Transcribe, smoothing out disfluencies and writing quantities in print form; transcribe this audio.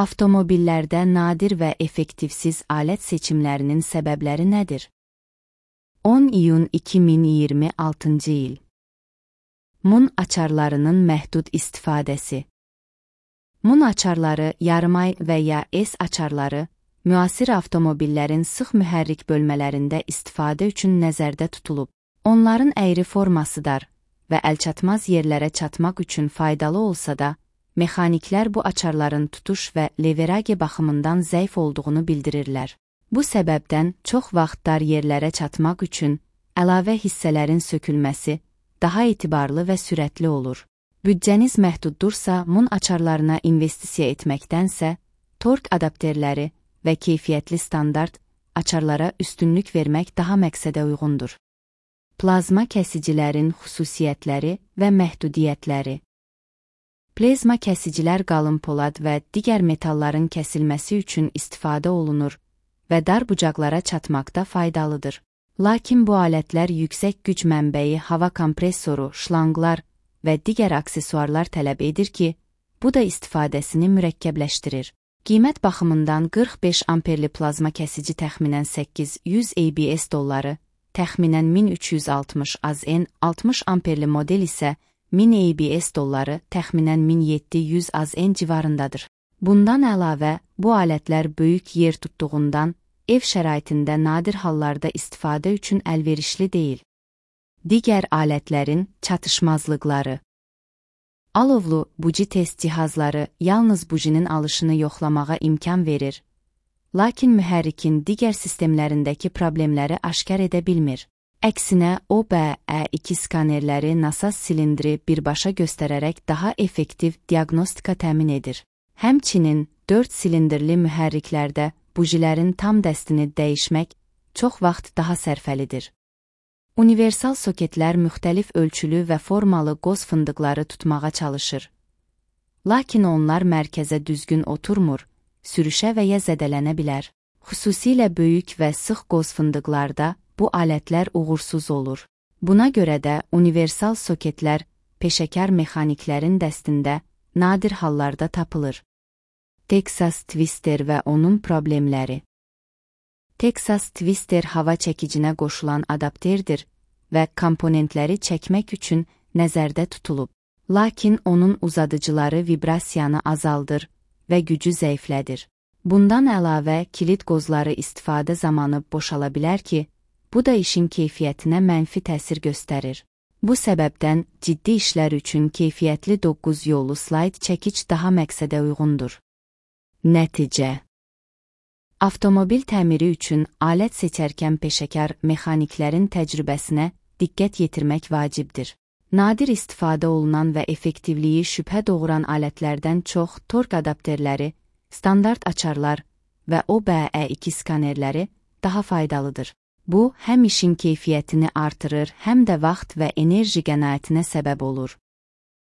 Avtomobillərdə nadir və effektivsiz alət seçimlərinin səbəbləri nədir? 10 iyun 2026 il. Mun açarlarının məhdud istifadəsi. Mun açarları, yarımay və ya S açarları, müasir avtomobillərin sıx mühərrik bölmələrində istifadə üçün nəzərdə tutulub. Onların əyri forması dar və əlçatmaz yerlərə çatmaq üçün faydalı olsa da, mexaniklər bu açarların tutuş və leverage baxımından zəif olduğunu bildirirlər. Bu səbəbdən çox vaxt dar yerlərə çatmaq üçün əlavə hissələrin sökülməsi daha etibarlı və sürətli olur. Büdcəniz məhduddursa, mun açarlarına investisiya etməkdənsə, tork adapterləri və keyfiyyətli standart açarlara üstünlük vermək daha məqsədə uyğundur. Plazma kəsicilərin xüsusiyyətləri və məhdudiyyətləri. Plazma kəsicilər qalın polad və digər metalların kəsilməsi üçün istifadə olunur və dar bucaqlara çatmaqda faydalıdır. Lakin bu alətlər yüksək güc mənbəyi, hava kompressoru, şlanqlar və digər aksesuarlar tələb edir ki, bu da istifadəsini mürəkkəbləşdirir. Qiymət baxımından 45 amperli plazma kəsici təxminən 800 ABS dolları, təxminən 1360 AZN, 60 amperli model isə 1000 ABS dolları, təxminən 1700 AZN civarındadır. Bundan əlavə, bu alətlər böyük yer tutduğundan, ev şəraitində nadir hallarda istifadə üçün əlverişli deyil. Digər alətlərin çatışmazlıqları. Alovlu buji test cihazları yalnız bujinin alışını yoxlamağa imkan verir, lakin mühərrikin digər sistemlərindəki problemləri aşkar edə bilmir. Əksinə, OBE2 skanerləri nasaz silindri birbaşa göstərərək daha effektiv diaqnostika təmin edir. Həmçinin, 4 silindirli mühərriklərdə bujilərin tam dəstini dəyişmək çox vaxt daha sərfəlidir. Universal soketlər müxtəlif ölçülü və formalı qoz fındıqları tutmağa çalışır. Lakin onlar mərkəzə düzgün oturmur, sürüşə və ya zədələnə bilər. Xüsusilə böyük və sıx qoz fındıqlarda bu alətlər uğursuz olur. Buna görə də universal soketlər peşəkar mexaniklərin dəstində nadir hallarda tapılır. Texas Twister və onun problemləri. Texas Twister hava çəkicinə qoşulan adapterdir və komponentləri çəkmək üçün nəzərdə tutulub. Lakin onun uzadıcıları vibrasiyanı azaldır və gücü zəiflədir. Bundan əlavə, kilit qozları istifadə zamanı boşala bilər ki, bu da işin keyfiyyətinə mənfi təsir göstərir. Bu səbəbdən ciddi işlər üçün keyfiyyətli 9 yollu slayd çəkic daha məqsədə uyğundur. Nəticə. Avtomobil təmiri üçün alət seçərkən peşəkar mexaniklərin təcrübəsinə diqqət yetirmək vacibdir. Nadir istifadə olunan və effektivliyi şübhə doğuran alətlərdən çox tork adapterləri, standart açarlar və OBE2 skanerləri daha faydalıdır. Bu, həm işin keyfiyyətini artırır, həm də vaxt və enerji qənaətinə səbəb olur.